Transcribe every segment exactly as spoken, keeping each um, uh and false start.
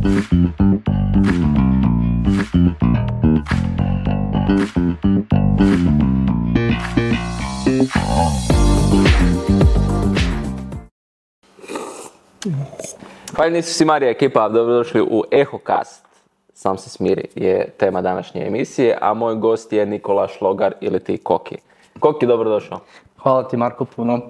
Pa nisu si Marija ekipa, dobrodošli u EhoCast. Sam se smiri je tema današnje emisije, a moj gost je Nikola Šlogar ili ti Koki. Koki, dobrodošao. Hvala ti Marko puno.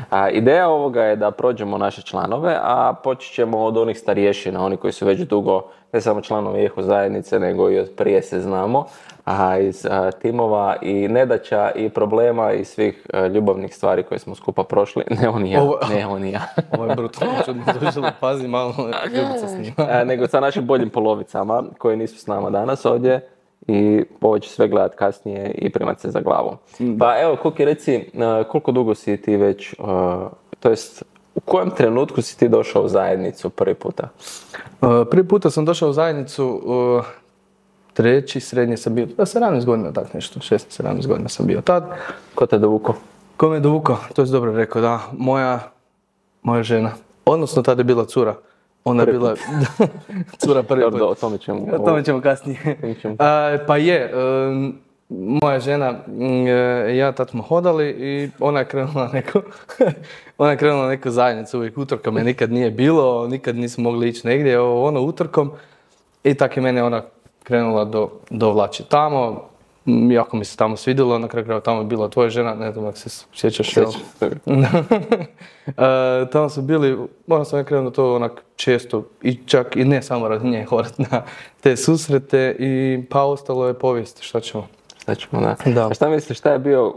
A, ideja ovoga je da prođemo naše članove, a počet ćemo od onih starješina, oni koji su već dugo, ne samo članovi Eho zajednice, nego i od prije se znamo, a iz a, timova i nedaća i problema i svih a, ljubavnih stvari koje smo skupa prošli. Ne on i ja, Ovo, ne on i ja. Ovo je brutalno čudno, došlo, pazi malo, ljubica s njima. A, nego sa našim boljim polovicama koji nisu s nama danas ovdje. I ovo će sve gledat kasnije i primat se za glavu. Pa evo, Koki, reci, koliko dugo si ti već, to jest, u kojem trenutku si ti došao u zajednicu prvi puta? Prvi puta sam došao u zajednicu, treći, srednje sam bio, da, sedamnaest godina, tak nešto, šesnaest sedamnaest godina sam bio tad. Ko te dovukao? Ko me dovukao, to je dobro rekao, da, moja, moja žena, odnosno tada je bila cura. Ona je bila cura prvi put. O tome ćemo, o tome ćemo kasnije. ćemo. A, pa je, um, moja žena, um, ja tad smo hodali i ona je krenula neku, ona je krenula neku zajednicu, uvijek utorkom je nikad nije bilo, nikad nismo mogli ići negdje, ono utorkom. I tako je mene ona krenula do, dovlači tamo. Jako mi se tamo svidjelo, na kraju krajeva tamo je bila tvoja žena, ne znam ako se sjećaš. Sjećam se. uh, tamo su bili, moram sam ja krenuo to onak često i čak i ne samo radi nje horat na te susrete i pa ostalo je povijest, šta ćemo. Šta ćemo, da. Da. A šta misliš, šta je bio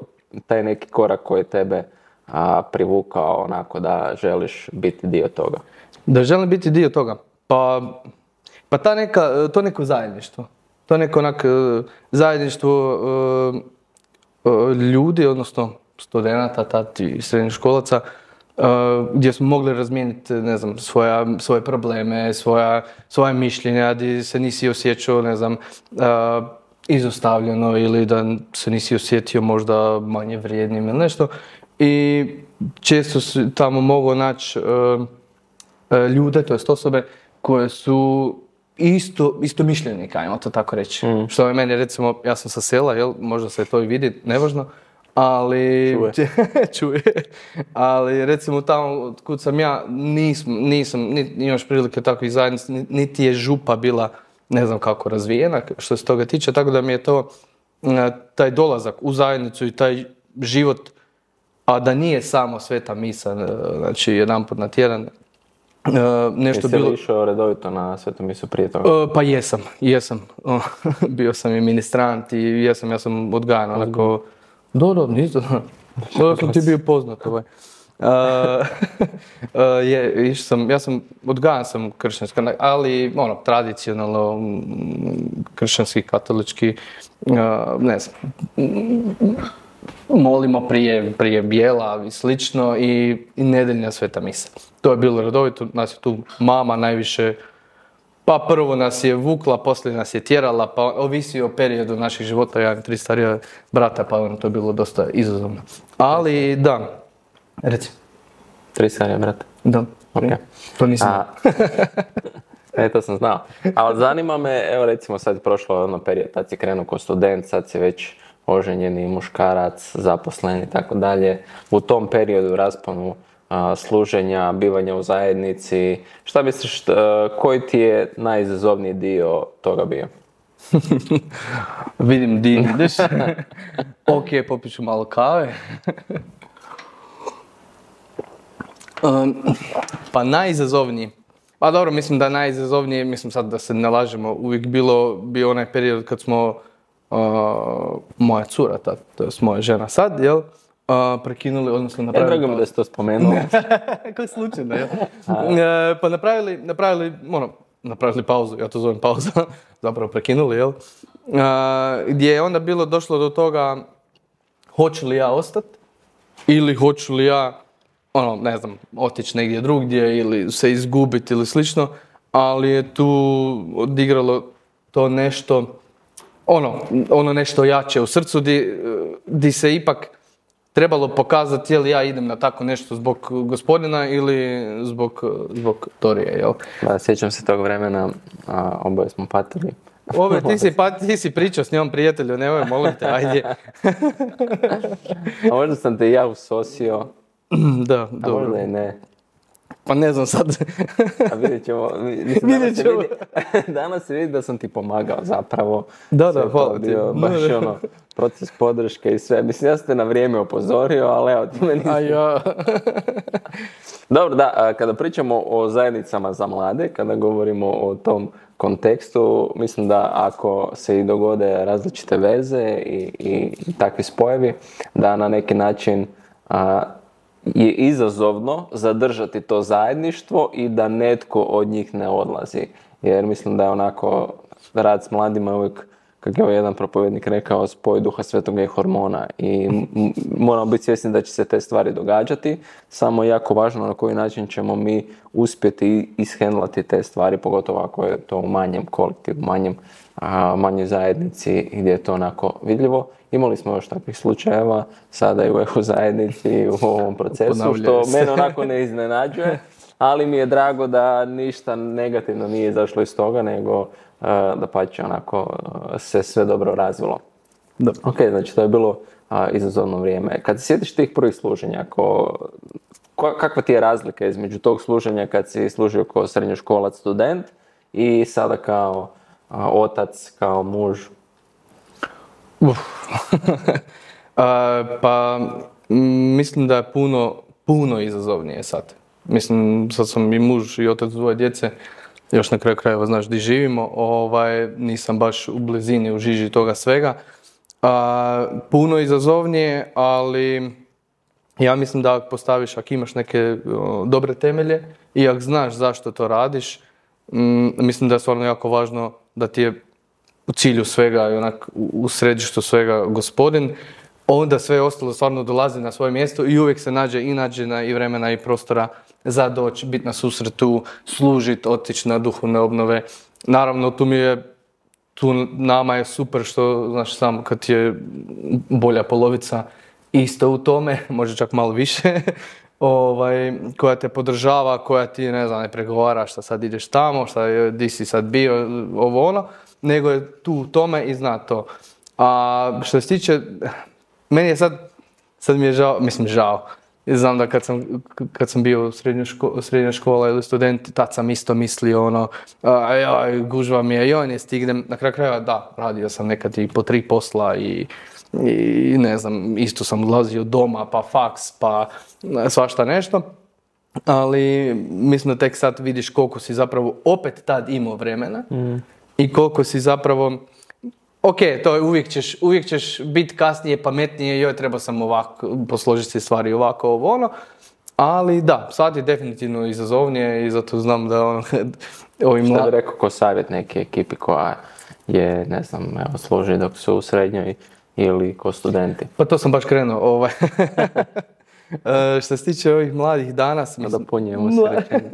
taj neki korak koji tebe a, privukao onako da želiš biti dio toga? Da želim biti dio toga? Pa, pa ta neka, to neko zajedništvo. To neko onak zajedništvo uh, uh, ljudi, odnosno studenata, tad i srednjoškolaca, uh, gdje smo mogli razmijeniti, ne znam, svoja, svoje probleme, svoja, svoja mišljenja, gdje se nisi osjećao, ne znam, uh, izostavljeno ili da se nisi osjetio možda manje vrijednim ili nešto. I često su tamo mogao naći uh, uh, ljude, to jest osobe, koje su Isto, isto mišljenika, ajmo to tako reći. Mm. Što je meni, recimo, ja sam sa sela, jel, možda se to i vidi, nevažno, ali... Čuje. Čuje. Ali, recimo, tamo kud sam ja, nisam, nisam niti imaš prilike takvih zajednica, niti je župa bila, ne znam kako, razvijena, što se toga tiče, tako da mi je to, taj dolazak u zajednicu i taj život, a da nije samo sveta misa, znači, jedanput na tjedan, Uh, nešto Jesi bilo... li išao redovito na svetu misu prije toga? Uh, pa jesam, jesam. Uh, bio sam i ministrant i jesam, ja sam odgajan onako... Do, do, nisam. Da sam ti bio poznat ovaj. Uh, uh, je, išao sam, ja sam, odgajan sam kršćanska, ali ono, tradicionalno kršćanski, katolički, uh, ne znam, molimo prije, prije bijela i slično i, i nedeljna sveta misa. To je bilo redovito, nas je tu mama najviše, pa prvo nas je vukla, poslije nas je tjerala, pa ovisi o periodu naših života, ja imam tri starija brata, pa ono, to je bilo dosta izazovno. Ali da, reci. Tri starija brata? Da, okay. To nisam. A, e, to sam znao. Ali zanima me, evo recimo sad je prošlo ono period, tad si krenuo kao student, sad si već oženjeni muškarac, zaposlen i tako dalje. U tom periodu, rasponu a, služenja, bivanja u zajednici, šta misliš, a, koji ti je najizazovniji dio toga bio? Vidim di ideš. Ok, popit ću malo kave. um, pa najizazovniji. Pa dobro, mislim da najizazovnije, mislim sad da se ne lažemo, uvijek bilo bio onaj period kad smo Uh, moja cura, ta, to je moja žena sad, jel, uh, prekinuli, odnosno napravili... Ja, drago mi da si to spomenuo. Kako slučajno, jel? Uh, pa napravili, napravili, ono, napravili pauzu, ja to zovem pauza, zapravo prekinuli, jel? Uh, gdje je onda bilo došlo do toga, hoću li ja ostati ili hoću li ja, ono, ne znam, otići negdje drugdje ili se izgubiti ili slično, ali je tu odigralo to nešto... Ono, ono nešto jače u srcu di, di se ipak trebalo pokazati je li ja idem na tako nešto zbog gospodina ili zbog, zbog Torije, jel? Da, sjećam se tog vremena, a, oboje smo patili. Ove, ti si, pa, ti si pričao s njom, prijatelju, nemoj, molim te, ajde. A možda sam te ja usosio, Da, a dobro. možda i ne. Pa ne znam sad. A vidjet ćemo. Mislim, Vidjet ćemo. danas, se vidi, danas se vidi da sam ti pomagao zapravo. Da, da, Sve to hvala ti. bio baš Da, da. ono, proces podrške i sve. Mislim, ja sam te na vrijeme upozorio, ali evo, ti me nisi. A ja... Dobro, da, a kada pričamo o zajednicama za mlade, kada govorimo o tom kontekstu, mislim da ako se i dogode različite veze i, i, i takvi spojevi, da na neki način a, je izazovno zadržati to zajedništvo i da netko od njih ne odlazi. Jer mislim da je onako rad s mladima je uvijek, kako je jedan propovjednik rekao, spoj duha svetoga i hormona. I m- moramo biti svjesni da će se te stvari događati, samo je jako važno na koji način ćemo mi uspjeti ishendlati te stvari, pogotovo ako je to u manjem kolektivu, manjem, a, manjoj zajednici gdje je to onako vidljivo. Imali smo još takvih slučajeva, sada i u eho zajednici i u ovom procesu, što Ponavljaju se. mene onako ne iznenađuje, ali mi je drago da ništa negativno nije izašlo iz toga, nego uh, da pače onako uh, se sve dobro razvilo. Da. Ok, znači to je bilo uh, izazovno vrijeme. Kad se sjetiš tih prvih služenja, ko, ko- kakva ti je razlika između tog služenja kad si služio kao srednjoškolac student i sada kao uh, otac, kao muž? Uf. A, pa m, mislim da je puno, puno izazovnije sad. Mislim, sad sam i muž i otac dvoje djece, još na kraju krajeva znaš di živimo, ovaj, nisam baš u blizini, u žiži toga svega. A, puno izazovnije, ali ja mislim da ako postaviš, ako imaš neke o, dobre temelje i ako znaš zašto to radiš, m, mislim da je stvarno jako važno da ti je u cilju svega i onak u u središtu svega gospodin, onda sve ostalo stvarno dolazi na svoje mjesto i uvijek se nađe i nađena i vremena i prostora za doći, biti na susretu, služiti, otići na duhovne obnove. Naravno, tu mi je, tu nama je super što, znaš, samo kad je bolja polovica isto u tome, može čak malo više, ovaj, koja te podržava, koja ti, ne znam, ne pregovara šta sad ideš tamo, šta je, di si sad bio, ovo ono, nego je tu u tome i zna to. A što se tiče, meni je sad, sad mi je žao, mislim žao, znam da kad sam, kad sam bio u srednjoj ško, srednja škola ili student, tad sam isto mislio ono, a, joj, gužva mi je, joj, ne stignem, na kraju krajeva da, radio sam nekad i po tri posla i i ne znam, isto sam odlazio doma, pa faks, pa svašta nešto. Ali mislim da tek sad vidiš koliko si zapravo opet tad imao vremena mm. i koliko si zapravo, ok, to je uvijek ćeš, uvijek ćeš biti kasnije pametnije, joj, treba sam ovako, posložiti si stvari ovako, ovo ono. Ali da, sad je definitivno izazovnije i zato znam da ono, ovi Šta mladi... bi rekao ko savjet neke ekipi koja je, ne znam, evo, služi dok su u srednjoj ili ko studenti? Pa to sam baš krenuo. Ovaj. E, što se tiče ovih mladih danas... Da Mislim, punjemo mla- se rečenje.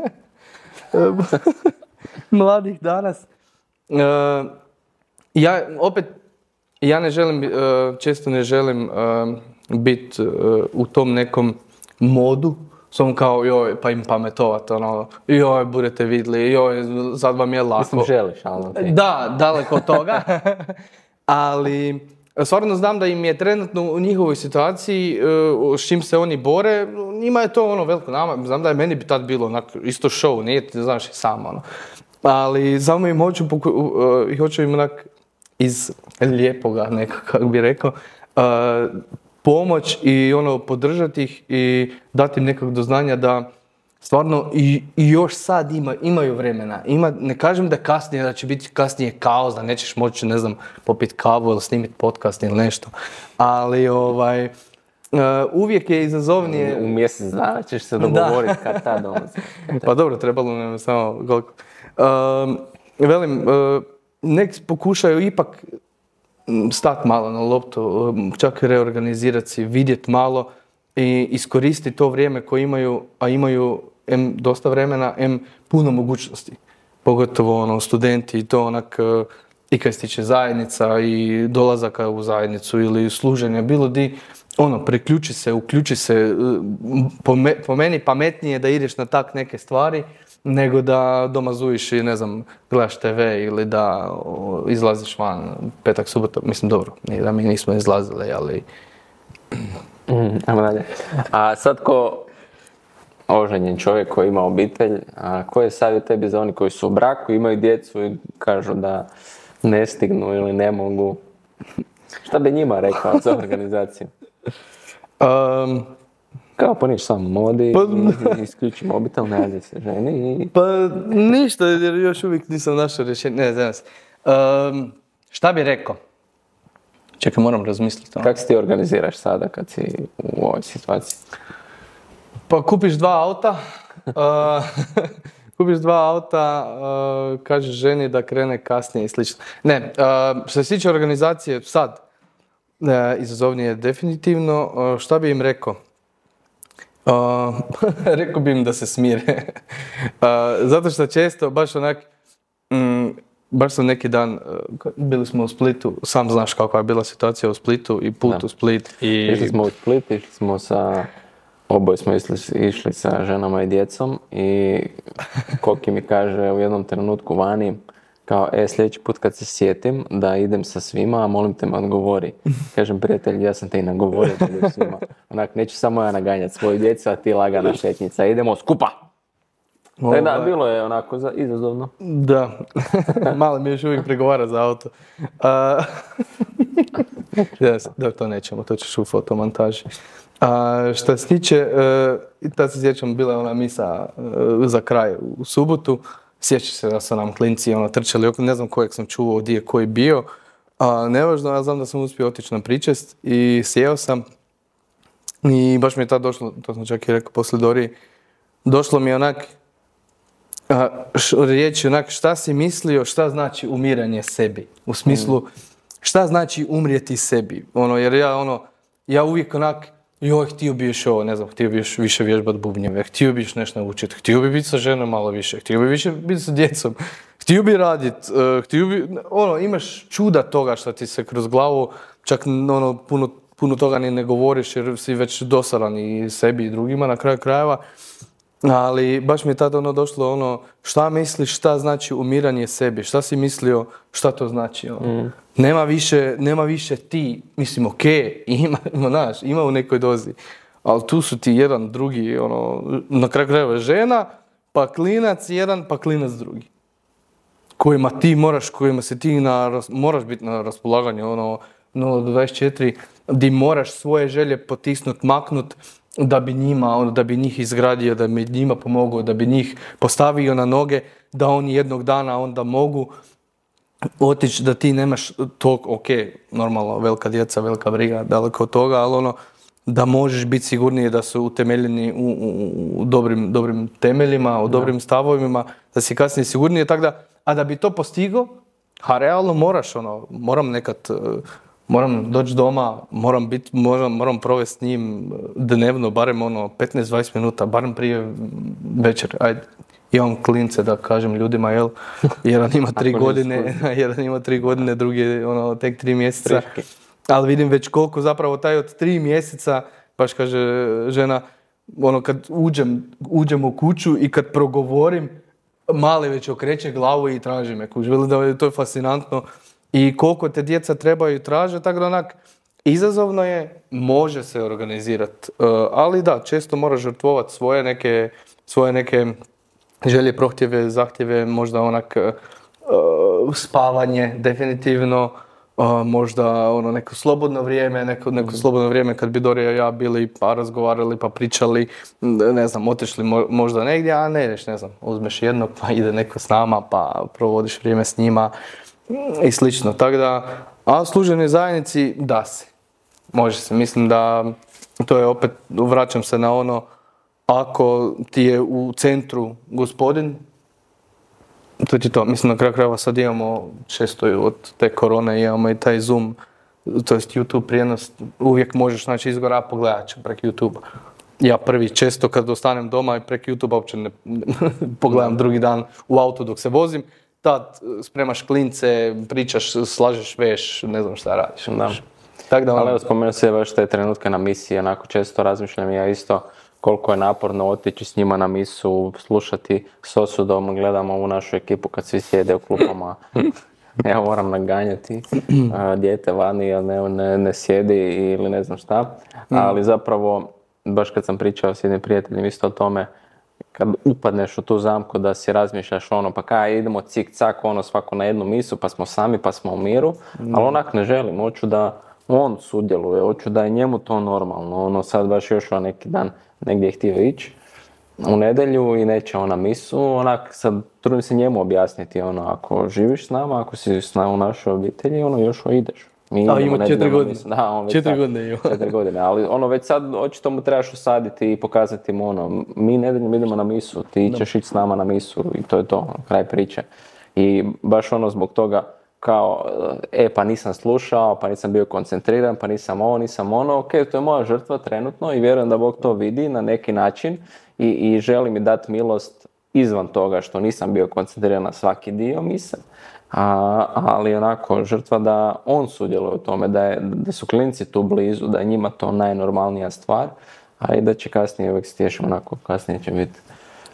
mladih danas... E, ja opet, ja ne želim, e, često ne želim biti u tom nekom modu, sam kao, joj, pa im pametovat, ono, joj, budete vidjeli, joj, sad vam je lako. Mislim, želiš, ali ok. Da, daleko od toga. Ali stvarno znam da im je trenutno u njihovoj situaciji, uh, s čim se oni bore, njima je to ono veliko nama. Znam da je meni bi tad bilo onak, isto show, nije ti znaš i sam ono. Ali samo im hoću, poku- uh, i hoću im onak iz lijepoga nekako, kako bi rekao, uh, pomoć i ono podržati ih i dati im nekog do znanja da stvarno i, i još sad ima, imaju vremena. Ima, ne kažem da kasnije, da će biti kasnije kaos, da nećeš moći, ne znam, popiti kavu ili snimiti podcast ili nešto. Ali ovaj, uh, uvijek je izazovnije... U mjesec dana ćeš se dogovoriti kad ta dolazi. Pa dobro, trebalo nam samo koliko. Um, velim, uh, nek pokušaju ipak stati malo na loptu, čak reorganizirati si, vidjeti malo i iskoristiti to vrijeme koje imaju, a imaju em dosta vremena, em puno mogućnosti. Pogotovo ono, studenti i to onak, i kad se tiče zajednica i dolazaka u zajednicu ili služenja, bilo di, ono, priključi se, uključi se, po, me, po meni pametnije da ideš na tak neke stvari, nego da doma zujiš i, ne znam, gledaš te ve ili da o, izlaziš van petak, subota, mislim, dobro, nije da mi nismo izlazili, ali... Mm, ajmo dalje. A sad ko oženjen čovjek koji ima obitelj, a koji je savjet tebi za oni koji su u braku, imaju djecu i kažu da ne stignu ili ne mogu? Šta bi njima rekao za organizaciju? Um, Kao pa niš samo modi, pa, isključi mobitel, ne radi se ženi i... Pa ništa, jer još uvijek nisam našao rješenje, ne znam se. Um, šta bi rekao? Čekaj, moram razmisliti. Kako se ti organiziraš sada kad si u ovoj situaciji? Pa kupiš dva auta, uh, kupiš dva auta, uh, kažeš ženi da krene kasnije i slično. Ne, uh, što se tiče organizacije sad, uh, izazovnije definitivno, uh, šta bi im rekao? Uh, rekao bi im da se smire. uh, zato što često, baš onak, mm, baš sam neki dan, uh, bili smo u Splitu, sam znaš kakva je bila situacija u Splitu i put da. u Split. I... Išli smo u Split, išli smo sa, oboje smo išli, išli sa ženama i djecom i Koki mi kaže u jednom trenutku vani, kao, e, sljedeći put kad se sjetim da idem sa svima, molim te me odgovori. Kažem, prijatelj, ja sam te i nagovorio da idem svima. Onak, neću samo ja naganjati svoju djecu, a ti lagana šetnica. Idemo skupa! Tako da, bilo je onako za, izazovno. Da, malo mi još uvijek pregovara za auto. Uh, da, to nećemo, to ćeš u fotomontaži. Uh, što se tiče, uh, tad se sjećam, bila je ona misa uh, za kraj u subotu. Sjeća se da su nam klinci ono, trčali oko, ne znam kojeg sam čuo, gdje je koji bio. A, nevažno, ja znam da sam uspio otići na pričest i sjeo sam. I baš mi je tad došlo, to sam čak i rekao poslije Dori, došlo mi je onak, a, š, riječi onak, šta si mislio, šta znači umiranje sebi. U smislu, šta znači umrijeti sebi. Ono, jer ja, ono, ja uvijek onak, joj, htio bi još ovo, ne znam, htio bi još više vježbat bubnjeve, htio bi još nešto naučiti, htio bi biti sa ženom malo više, htio bi više biti sa djecom, htio bi radit, uh, htio bi, ono, imaš čuda toga što ti se kroz glavu, čak ono, puno, puno toga ni ne govoriš jer si već dosadan i sebi i drugima na kraju krajeva, ali baš mi je tada ono došlo ono, šta misliš, šta znači umiranje sebi, šta si mislio, šta to znači, ono. Mm. Nema više, nema više ti, mislim, ok, ima, ima, znaš, ima u nekoj dozi, ali tu su ti jedan, drugi, ono, na kraju krajeva žena, pa klinac jedan, pa klinac drugi. Kojima ti moraš, kojima se ti na, moraš biti na raspolaganju, ono, nula do dvadeset četiri, di moraš svoje želje potisnut, maknut, da bi njima, ono, da bi njih izgradio, da bi njima pomogao, da bi njih postavio na noge, da oni jednog dana onda mogu otići, da ti nemaš tog, ok, normalno, velika djeca, velika briga, daleko od toga, ali ono, da možeš biti sigurniji da su utemeljeni u, u, u dobrim, dobrim temeljima, u dobrim stavovima, da si kasnije sigurniji, tako da, a da bi to postigao, a realno moraš, ono, moram nekad, moram doći doma, moram biti, moram, moram provesti s njim dnevno, barem ono, petnaest do dvadeset minuta, barem prije večer, ajde. Imam klince da kažem ljudima, jel, jedan ima tri godine, jedan ima tri godine, drugi je ono, tek tri mjeseca. Ali vidim već koliko zapravo taj od tri mjeseca, baš kaže žena, ono kad uđem, uđem u kuću i kad progovorim, mali već okreće glavu i traži me. Kužili da to je fascinantno. I koliko te djeca trebaju i traže, tako da onak, izazovno je, može se organizirati. Uh, ali da, često moraš žrtvovati svoje neke, svoje neke želje, prohtjeve, zahtjeve, možda onak uh, spavanje, definitivno, uh, možda ono neko slobodno vrijeme, neko, neko slobodno vrijeme kad bi Dorija i ja bili pa razgovarali, pa pričali, ne znam, otišli mo- možda negdje, a ne ideš, ne znam, uzmeš jednog pa ide neko s nama pa provodiš vrijeme s njima i slično. Tako da, a služenoj zajednici da se, može se, mislim da to je opet, vraćam se na ono, ako ti je u centru gospodin, to ti to. Mislim, na kraju krajeva sad imamo, često od te korone imamo i taj Zoom, to jest YouTube prijenos, uvijek možeš naći izgora, a pogledat ću prek YouTube. Ja prvi često kad ostanem doma i prek YouTube uopće ne pogledam drugi dan u autu dok se vozim, tad spremaš klince, pričaš, slažeš veš, ne znam šta radiš. Da. Tak da, ono... Ali evo, spomenuo se baš te trenutke na misiji, onako često razmišljam ja isto koliko je naporno otići s njima na misu, slušati s osudom, gledamo ovu našu ekipu kad svi sjede u klupama. Ja moram naganjati a, dijete vani, jer ne, ne, ne sjedi ili ne znam šta. Ali zapravo, baš kad sam pričao s jednim prijateljem isto o tome, kad upadneš u tu zamku da si razmišljaš ono, pa kaj idemo cik-cak, ono svako na jednu misu, pa smo sami, pa smo u miru. Ali onak ne želim, hoću da on sudjeluje, hoću da je njemu to normalno. Ono sad baš još o neki dan negdje je htio ići u nedjelju i neće on na misu, onak sad trudim se njemu objasniti, ono, ako živiš s nama, ako si s nama u našoj obitelji, ono, još ideš. Mi A ima četiri godine. Da, on već četiri sad, godine ima. četiri godine, ali ono već sad očito mu trebaš usaditi i pokazati mu ono, mi nedeljom idemo na misu, ti ćeš ići s nama na misu i to je to, ono, kraj priče. I baš ono zbog toga kao, e pa nisam slušao, pa nisam bio koncentriran, pa nisam ovo, nisam ono, ok, to je moja žrtva trenutno i vjerujem da Bog to vidi na neki način i, i želi mi dati milost izvan toga što nisam bio koncentriran na svaki dio mise, a, ali onako žrtva da on sudjeluje u tome, da, je, da su klinci tu blizu, da je njima to najnormalnija stvar, a i da će kasnije uvijek stješiti onako, kasnije će biti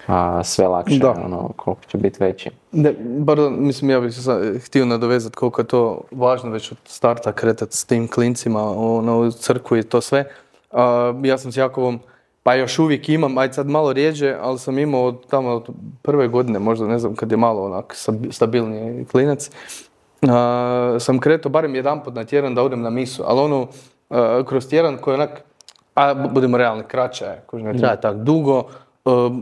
a, sve lakše, da. Ono, koliko će biti veći. Ne, pardon, mislim, ja bih se htio nadovezati koliko je to važno već od starta kretati s tim klincima ono, u crkvu i to sve. A, ja sam s Jakovom, pa još uvijek imam, aj sad malo rijeđe, ali sam imao od tamo od prve godine, možda ne znam kad je malo onak stabilniji klinac, a, sam kretao barem jedanput na tjedan da odem na misu, ali ono a, kroz tjedan koji je onak, a budemo realni, kraće je, koji ne traje tako dugo.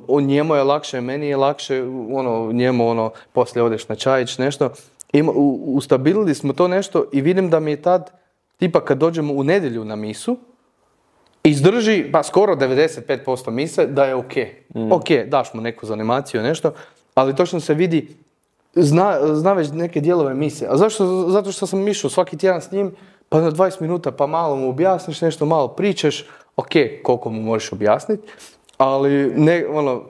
Uh, njemu je lakše, meni je lakše, ono, njemu ono, poslije odeš na čajić, nešto. Ima, u, ustabilili smo to nešto i vidim da mi je tad, tipa kad dođemo u nedjelju na misu, izdrži, pa skoro devedeset pet posto mise da je ok. Mm. Ok, daš mu neku zanimaciju, nešto, ali točno se vidi, zna, zna već neke dijelove mise. A zašto? Zato što sam išao svaki tjedan s njim, pa na dvadeset minuta, pa malo mu objasniš nešto, malo pričaš, ok, koliko mu možeš objasniti. Ali, ne, ono,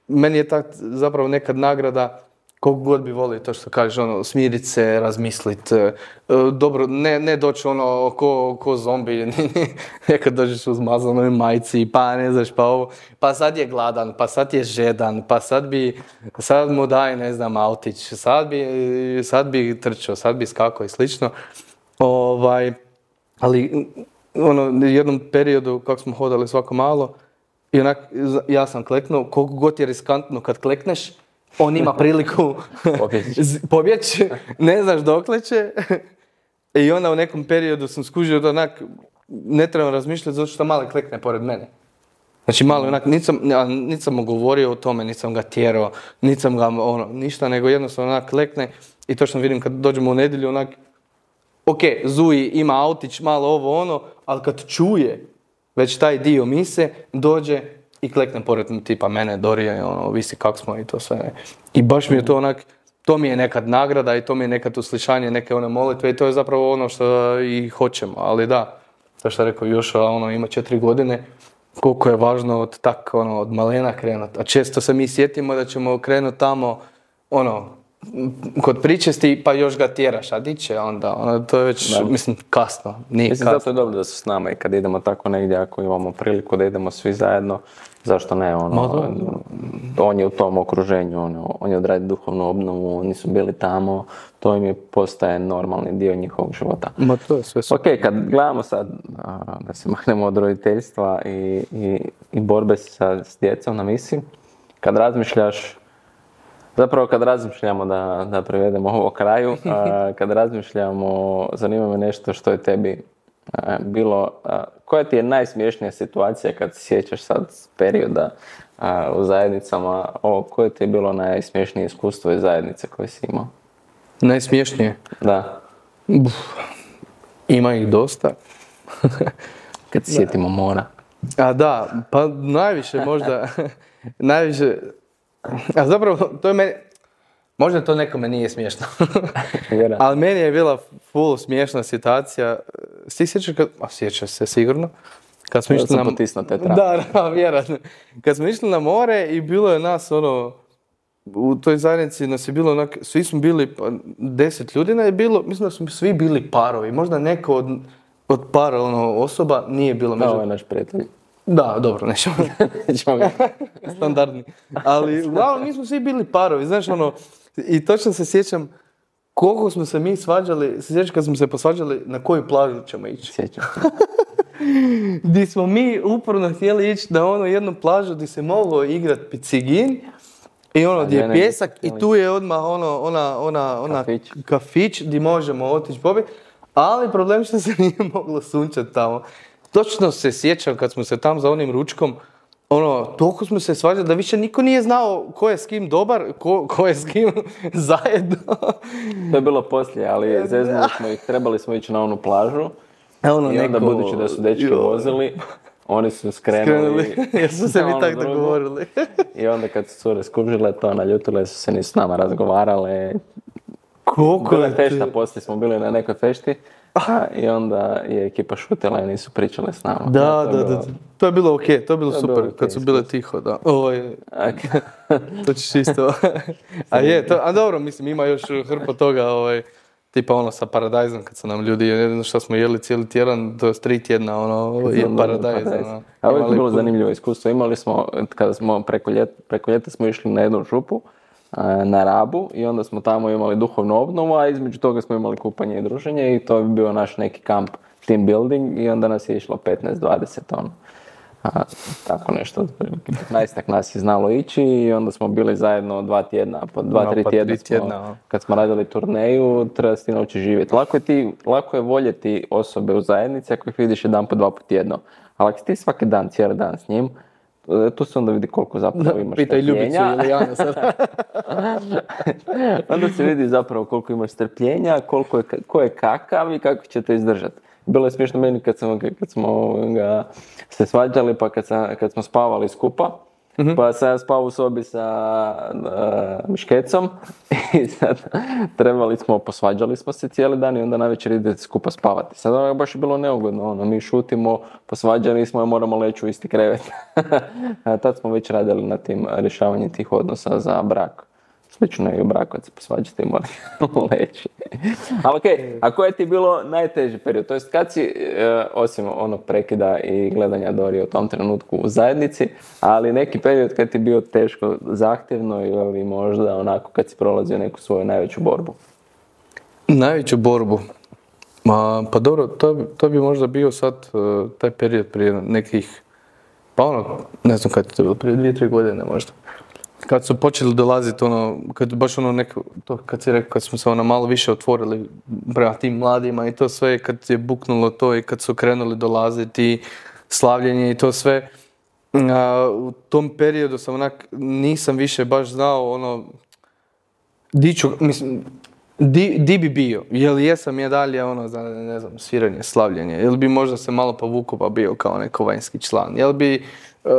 meni je tak zapravo nekad nagrada, koliko god bi volio to što kažeš, ono, smirit se, razmislit, e, dobro, ne, ne doći ono ko, ko zombi, nekad dođeš u zmazanoj majci, pa ne znaš, pa ovo, pa sad je gladan, pa sad je žedan, pa sad bi, sad mu daj, ne znam, autić, sad bi, sad bi trčao, sad bi skakao i slično. Ovaj, ali, ono, u jednom periodu, kako smo hodali svako malo, i onak, ja sam kleknuo, koliko god je riskantno kad klekneš, on ima priliku pobjeći, ne znaš dokle će. I onda u nekom periodu sam skužio da onak, ne trebam razmišljati zato što mali klekne pored mene. Znači mali onak, nisam, ja, nisam mu govorio o tome, nisam ga tjerao, nisam ga ono, ništa, nego jednostavno onak klekne i točno vidim kad dođemo u nedjelju onak, ok, Zuji ima autić, malo ovo ono, ali kad čuje već taj dio mise, dođe i klekne pored tipa mene, Dorije, ono, visi kak smo i to sve. Ne. I baš mi je to onak, to mi je nekad nagrada i to mi je nekad uslišanje neke one molitve i to je zapravo ono što i hoćemo. Ali da, to što je rekao Joša, ono, ima četiri godine, koliko je važno od tak, ono, od malena krenuti. A često se mi sjetimo da ćemo krenuti tamo, ono, kod pričesti, pa još ga tjeraš, a di će onda, ono, to je već, da. Mislim, kasno, nije mislim, kasno. Zato je dobro da su s nama i kad idemo tako negdje, ako imamo priliku da idemo svi zajedno, zašto ne, ono, on je u tom okruženju, ono, on je odradio duhovnu obnovu, oni su bili tamo, to im je postaje normalni dio njihovog života. Ma to je sve super. Ok, kad gledamo sad, da se maknemo od roditeljstva i, i, i borbe sa, s djecom na misiji, kad razmišljaš, zapravo kad razmišljamo da, da privedemo ovo kraju, a, kad razmišljamo, zanima me nešto što je tebi a, bilo, a, koja ti je najsmiješnija situacija kad se sjećaš sad perioda a, u zajednicama, o, koje ti je bilo najsmiješnije iskustvo iz zajednice koje si imao? Najsmiješnije? Da. Uf, ima ih dosta. Kad se sjetimo mora. A da, pa najviše možda, najviše... A zapravo, to je meni, možda to nekome nije smiješno, ali meni je bila full smiješna situacija. Ti sjećaš kad, a sjećaš se sigurno, kad smo išli na... potisnuo te trave. Da, da, vjerojatno. Kad smo išli na more i bilo je nas ono, u toj zajednici nas je bilo onak, svi smo bili, pa deset ljudi je bilo, mislim da smo svi bili parovi, možda neko od od para ono, osoba nije bilo među... Ovo je naš prijatelj. Da, dobro, nećemo. Nećemo ga. Standardni. Ali, uglavnom, mi smo svi bili parovi, znaš, ono, i točno se sjećam koliko smo se mi svađali, se sjećam kad smo se posvađali na koju plažu ćemo ići. Sjećam. Di smo mi uporno htjeli ići na ono jednu plažu di se moglo igrat picigin i ono gdje je pjesak i tu je odmah ono, ona, ona, ona kafić. kafić di možemo otići pobiti, ali problem što se nije moglo sunčati tamo. Točno se sjećam kad smo se tam za onim ručkom, ono, toliko smo se svađali da više niko nije znao ko je s kim dobar, ko, ko je s kim zajedno. To je bilo poslije, ali zeznuli smo ih, trebali smo ići na onu plažu. Ono, i onda neko... budući da su dečki jo. vozili, oni su skrenuli. Skrenuli, jer su se mi tako dogovorili. I onda kad su cure skužile to, naljutile su se, nisu s nama razgovarale. Koliko je fešta, poslije smo bili na nekoj fešti. Aha, i onda je ekipa šutila i nisu pričale s nama. Da, ja, to da, bilo... da. To je bilo okej, okay, to je bilo to super, bilo okay, kad su bile tiho, da. Ovo je... Okay. To ćeš isto. A je, to, a dobro, mislim, ima još hrpa toga, ovaj, tipa ono sa paradajzom, kad su nam ljudi, ne znam šta smo jeli cijeli tjedan, to je tri tjedna, ono, je paradajz. Ono, a ovo je bilo zanimljivo iskustvo. Imali smo, kada smo preko ljeta, preko ljeta smo išli na jednu župu, na Rabu i onda smo tamo imali duhovnu obnovu, a između toga smo imali kupanje i druženje i to bi bio naš neki kamp, team building i onda nas je išlo petnaest dvadeset ono. A, tako nešto, petnaestak nas je znalo ići i onda smo bili zajedno dva tjedna, po dva, no, tri pa tjedna, tri tjedna smo, kad smo radili turneju, treba se ti naučiti živjeti. Lako je, ti, lako je voljeti osobe u zajednici ako ih vidiš jedan po dva po tjedno, ali ako ti svaki dan, cijeli dan s njim, tu se onda vidi koliko zapravo imaš Pitaj Ljubicu ili Jana sad. Onda se vidi zapravo koliko imaš strpljenja, koliko je, ko je kakav i kako ćete izdržati. Bilo je smiješno meni kad, sam, kad smo ga se svađali pa kad, sam, kad smo spavali skupa. Mm-hmm. Pa sam ja spao u sobi sa uh, Miškecom i sad trebali smo, posvađali smo se cijeli dan i onda navečer idete skupa spavati. Sad ono baš je bilo neugodno, ono, mi šutimo, posvađali smo i moramo leći u isti krevet. Tad smo već radili na tim rješavanjem tih odnosa za brak. Slično je i u braku, kad se posvađate i morate leći. Ali okej, okay, a koje ti je bilo najteži period? To jest kad si, e, osim onog prekida i gledanja Dori u tom trenutku u zajednici, ali neki period kad ti je bio teško, zahtjevno ili možda onako kad si prolazio neku svoju najveću borbu? Najveću borbu? Ma, pa dobro, to, to bi možda bio sad uh, taj period prije nekih, pa ono, ne znam kad je to bilo, prije dvije, tri godine možda. Kad su počeli dolaziti ono, kad baš ono neko, to kad si rekao, kad smo se ono malo više otvorili prema tim mladima i to sve, kad je buknulo to i kad su krenuli dolaziti, slavljenje i to sve, a, u tom periodu sam onak, nisam više baš znao ono, di ću, mislim, di, di bi bio, jel jesam ja dalje ono, za, ne znam, sviranje, slavljenje, jel bi možda se malo povukao pa bio kao neko vanjski član, jel bi Uh,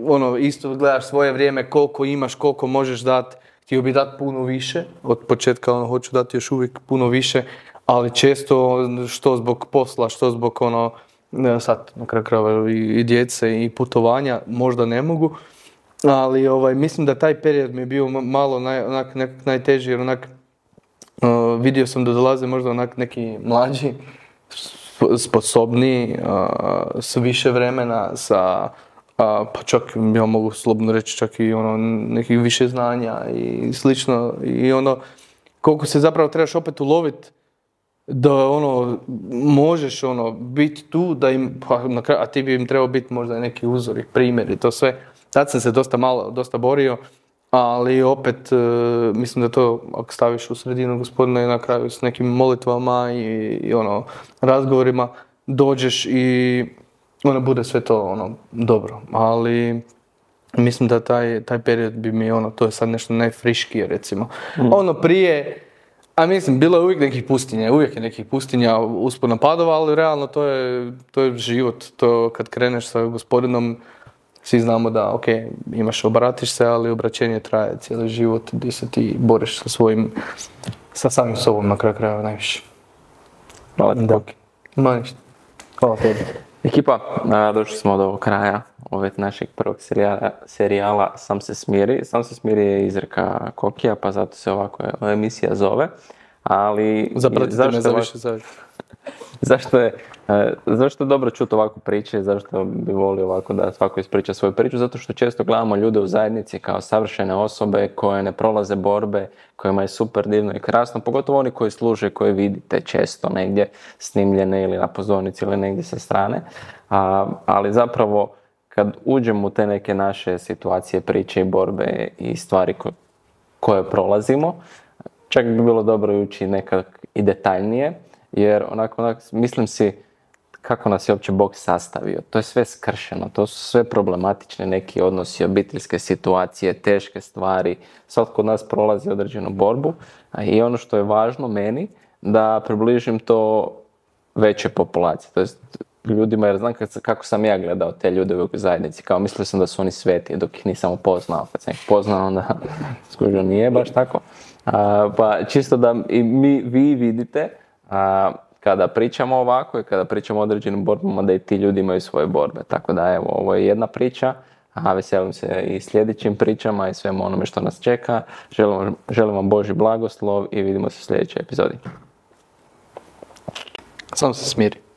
ono, isto gledaš svoje vrijeme, koliko imaš, koliko možeš dati, htio bi dati puno više, od početka ono, hoću dati još uvijek puno više, ali često što zbog posla, što zbog ono, sad na kraju krajeva i, i djece i putovanja, možda ne mogu, ali ovaj, mislim da taj period mi je bio malo naj, onak, nek, najteži, jer onak, uh, vidio sam da dolaze možda onak neki mlađi, sposobniji, uh, s više vremena, sa A, pa čak, ja mogu slobodno reći, čak i ono, nekih više znanja i slično. I ono, koliko se zapravo trebaš opet uloviti da ono, možeš ono, biti tu, da im, pa, na kraju, a ti bi im trebao biti možda neki uzor i primjer i to sve. Tad sam se dosta malo, dosta borio, ali opet, e, mislim da to, ako staviš u sredinu Gospodina i na kraju s nekim molitvama i, i ono, razgovorima, dođeš i ono bude sve to ono dobro, ali mislim da taj, taj period bi mi ono, to je sad nešto najfriškije recimo. Mm. Ono prije, a mislim, bilo je uvijek nekih pustinja, uvijek je nekih pustinja uspona padova, ali realno to je, to je život, to kad kreneš sa Gospodinom, svi znamo da, ok, imaš, obratiš se, ali obraćenje traje cijeli život, gdje se ti boriš sa svojim, sa samim sobom na kraju krajeva najviše. Hvala ti. Da. Ma ništa. Hvala tebi. Ekipa, došli smo do kraja ove našeg prvog serijala, serijala Sam se smiri. Sam se smiri je izreka Kokija, pa zato se ovako emisija zove. Ali zapratite me za više savjeta. zašto je, zašto je dobro čuti ovakvu priče, zašto bi volio ovako da svako ispriča svoju priču, zato što često gledamo ljude u zajednici kao savršene osobe koje ne prolaze borbe, kojima je super divno i krasno, pogotovo oni koji služe, koje vidite često negdje snimljene ili na pozornici ili negdje sa strane, a, ali zapravo kad uđemo u te neke naše situacije, priče i borbe i stvari ko, koje prolazimo, čak bi bilo dobro ući nekak i detaljnije, jer onako, onako mislim si kako nas je uopće Bog sastavio. To je sve skršeno, to su sve problematične neki odnosi, obiteljske situacije, teške stvari. Svatko od nas prolazi određenu borbu i ono što je važno meni da približim to veće populacije. To jest ljudima, jer znam kako sam ja gledao te ljude u zajednici, kao mislio sam da su oni sveti dok ih nisam upoznao. Kad sam ih poznao, onda skužio nije baš tako. A, pa čisto da i mi, vi vidite a, kada pričamo ovako i kada pričamo o određenim borbama, da i ti ljudi imaju svoje borbe. Tako da evo, ovo je jedna priča, a veselim se i sljedećim pričama i svemu onome što nas čeka. Želim, želim vam Božji blagoslov i vidimo se u sljedećoj epizodi. Samo se smiri.